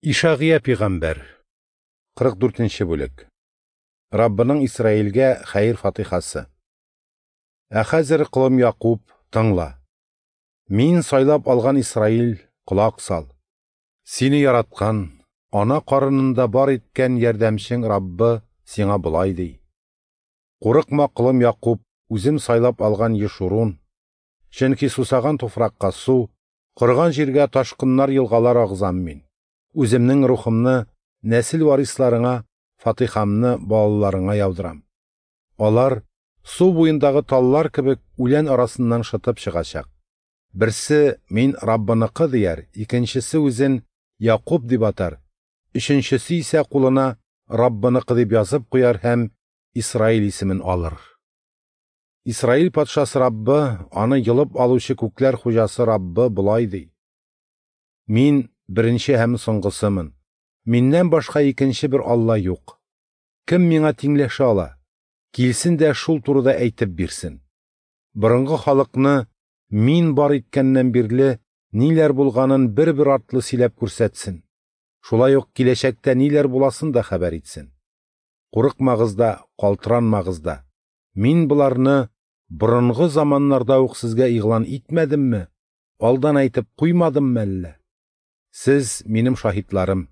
Ишагыя пигамбәр, 44 нче бүлек. Раббының Исраилгә хәер-фатихасы. Ә хәзер, колым Якуб, тыңла. Мин сайлап алган Исраил, колак сал. Сине яраткан, ана карынында бар иткән ярдәмчең Раббы сиңа болай ди: Курыкма, колым Якуб, үзем сайлап алган Ешурун, чөнки сусаган туфракка су, корыган җиргә ташкыннар елгалар агызам мин. Үземнең рухымны нәсел варисларыңа, фатихамны балаларыңа яудырам. Алар су буендагы таллар кебек үлән арасыннан шытып чыгачак. Берсе мин Раббыныкы дияр, икенчесе үзен Якуб дип атар, өченчесе исә кулына Раббыныкы дип язып куяр һәм Исраил исемен алыр. Исраил патшасы Раббы, аны йолып алучы күкләр хуҗасы Раббы болай ди: Мин беренче һәм соңгысымын. Миннән башка икенче бер Алла юк. Кем миңа тиңләшә ала? Килсен дә шул турыда әйтеп бирсен. Борынгы халыкны мин бар иткәннән бирле ниләр булганын бер-бер артлы сөйләп күрсәтсен. Шулай ук киләчәктә ниләр буласын да хәбәр итсен. Курыкмагыз да, калтыранмагыз да. Мин боларны борынгы заманнарда ук сезгә игълан итмәдемме? Алдан әйтеп куймадыммы әллә? Сез минем шаһитларым.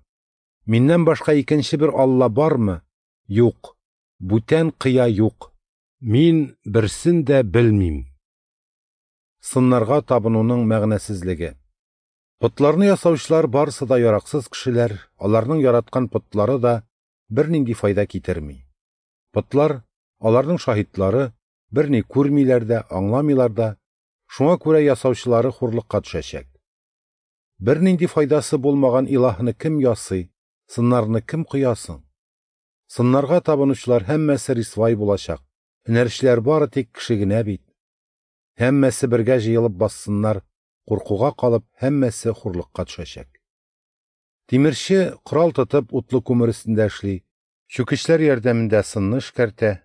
Миннән башка икенче бер Алла бармы? Юк. Бүтән кыя юк. Мин берсен дә белмим. Сыннарга табынуның мәгънәсезлеге. Потларны ясаучылар барысы да яраксыз кешеләр, аларның яраткан потлары да бернинди файда китерми. Потлар, аларның шаһитлары, берни күрмиләр дә, аңламыйлар да, шуңа күрә ясаучылары хурлыкка төшәчәк. Бернинди файдасы булмаган илаһны кем ясый, сыннарны кем коясың? Сыннарга табынучылар һәммәсе рисвай булачак, һөнәрчеләр бары тик кеше генә бит. Һәммәсе бергә җыелып бассыннар, куркуга калып, һәммәсе хурлыкка төшәчәк. Тимерче корал тотып утлы күмер өстендә эшли, чүкечләр ярдәмендә сынны эшкәртә,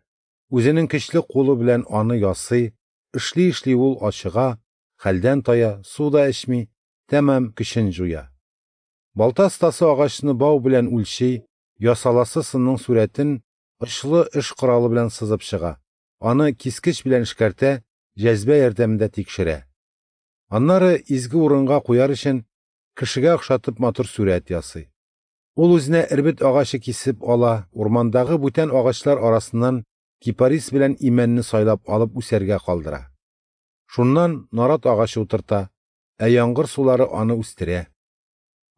үзенең көчле кулы белән аны ясый, эшли-эшли ул ачыга, хәлдән тая, су да эчми, тәмам көчен җуя. Балта остасы агачны бау белән үлчи, ясаласы сынның сурәтен очлы эш коралы белән сызып чыга, аны кискеч белән эшкәртә, җәзбә ярдәмендә тикшерә. Аннары изге урынга куяр өчен кешегә охшатып матур сурәт ясый. Ул үзенә эрбет агачы кисеп ала, урмандагы бүтән агачлар арасыннан кипарис белән имәнне сайлап алып үсәргә калдыра. Шуннан нарат агачы утырта, ә яңгыр сулары аны үстерә.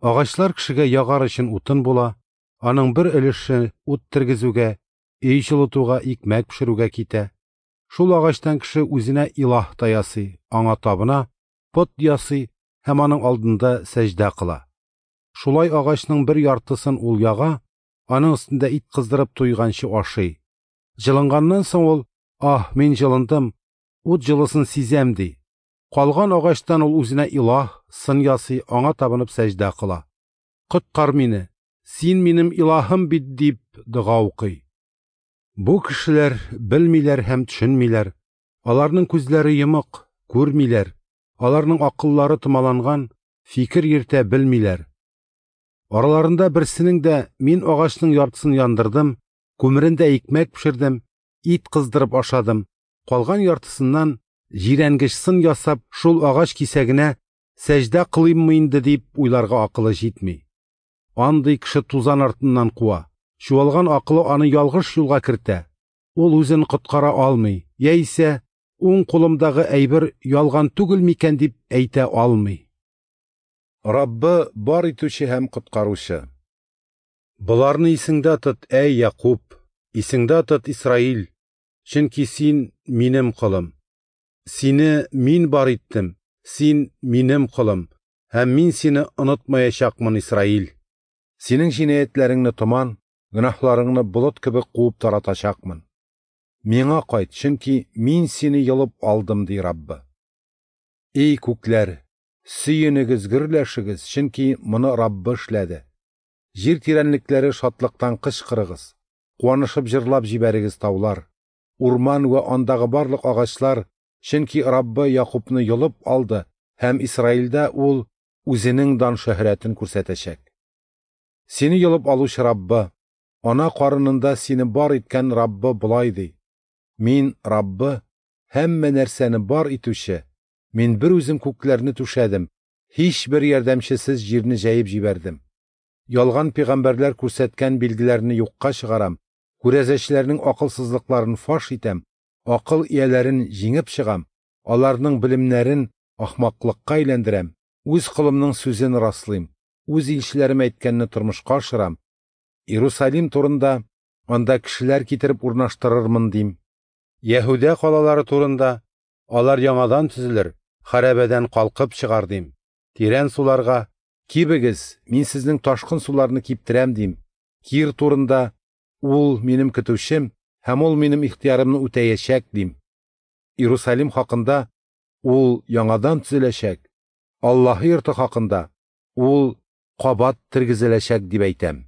Агачлар кешегә ягар өчен утын була, аның бер өлеше ут тергезүгә, өй җылытуга, икмәк пешерүгә китә. Шул агачтан кеше үзенә илаһ та ясый, аңа табына, пот ясый һәм аның алдында сәҗдә кыла. Шулай агачның бер яртысын ул яга, аның өстендә ит кыздырып туйганчы ашый. Җылынганнан соң ул: "Аһ, мин җылындым, ут җылысын сизәм", ди. Калган агачтан ул үзенә илаһ, сын ясый, аңа табынып сәҗдә кыла. "Коткар мине, син минем илаһым бит", дип дога укый. Бу кешеләр белмиләр һәм төшенмиләр. Аларның күзләре йомык, күрмиләр. Аларның акыллары томаланган, фикер йөртә белмиләр. Араларында берсенең дә мин агачның яртысын яндырдым, күмерендә икмәк пешердем, ит кыздырып ашадым, калган яртысыннан җирәнгеч сын ясап, шул агач кисәгенә сәҗдә кылыйммы инде дип уйларга акылы җитми. Андый кеше тузан артыннан куа. Чуалган акылы аны ялгыш юлга кертә. Ул үзен коткара алмый, яисә уң кулымдагы әйбер ялган түгел микән дип әйтә алмый. Раббы бар итүче һәм коткаручы. Боларны исеңдә тот, әй Якуб, исеңдә тот, Исраил, чөнки син минем колым. Сине мин бар иттем, син минем колым, һәм мин сине онытмаячакмын, Исраил. Синең җинаятьләреңне томан, гөнаһларыңны болыт кебек куып таратачакмын. Миңа кайт, чөнки мин сине йолып алдым, ди Раббы. Эй күкләр, сөенегез, гөрләшегез, чөнки моны Раббы эшләде. Җир тирәнлекләре шатлыктан кычкырыгыз, куанышып җырлап җибәрегез таулар, урман вә андагы барлык агачлар, чөнки Раббы Якубны йолып алды һәм Исраилдә ул үзенең дан шөһрәтен күрсәтәчәк. Сине йолып алучы Раббы, ана карынында сине бар иткән Раббы болай ди: Мин, Раббы, һәммә нәрсәне бар итүче, Мин бер үзем күкләрне түшәдем, һичбер ярдәмчесез җирне җәеп җибәрдем. Ялган пәйгамбәрләр күрсәткән билгеләрне юкка чыгарам, күрәзәчеләрнең акылсызлыкларын фаш итәм, акыл ияләрен җиңеп чыгам, аларның белемнәрен ахмаклыкка әйләндерәм, үз колымның сүзен раслыйм, үз илчеләрем әйткәнне тормышка ашырам. Иерусалим турында анда кешеләр китереп урнаштырырмын дим. Яһүдә калалары турында алар яңадан төзелер, хәрабәдән калкып чыгар дим. Тирән суларга кибегез, мин сезнең ташкын суларны киптерәм дим. Кир турында ул минем көтүчем һәм ул минем ихтыярымны үтәячәк дим. Иерусалим хакында ул яңадан төзеләчәк, Аллаһы йорты хакында ул кабат тергезеләчәк дип әйтәм.